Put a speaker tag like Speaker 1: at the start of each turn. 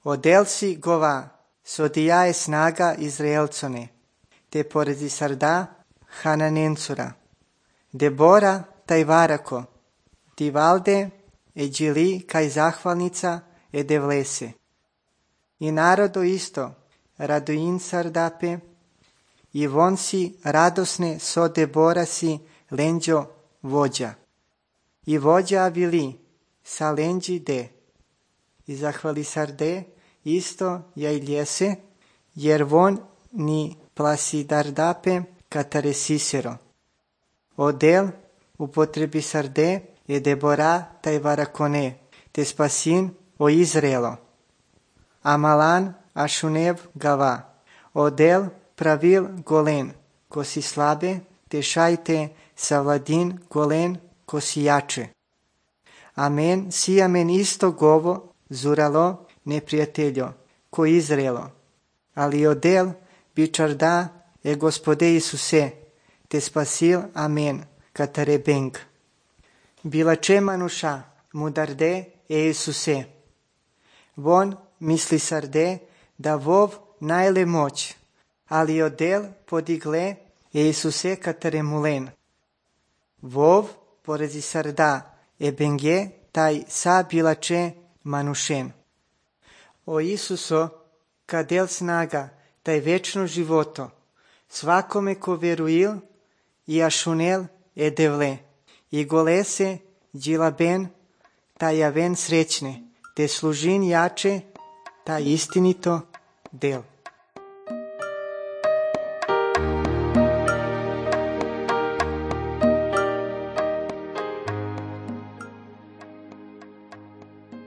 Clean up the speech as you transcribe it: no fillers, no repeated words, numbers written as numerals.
Speaker 1: Odel si gova, sodia je snaga Izraelcone, te poredi sarda Hananencura. Debora taj varako, ti valde e đili kaj zahvalnica e devlese. I narodo isto, radoin sardape, i von si radosne so Debora si lenđo vođa. I vođa avili sa lenđi de. I zahvali sarde isto ja iljese, jer von ni plasidardape katare sisero. Odel upotrebi sarde je Debora taj varakone, te spasin o Izraelo. Amalan ašunev gava, odel pravil golen, ko si slabe, te šajte savladin golen, ko si jače. Amen, si amen isto govo zuralo neprijateljo, ko Izraelo. Ali odel bičarda e Gospode Isuse, te spasil amen, katare beng. Bilače manuša, mudarde e Isuse. Von misli sarde da vov najle moć, ali odel podigle e Isuse katare mulen. Vov porezi sarda e benge taj sa bilače manušen. O Isuso, kadel snaga, taj večno životo, svakome ko veruil i ašunel e devle, i golese džilaben, taj javen srećne, te služin jače, taj istinito del.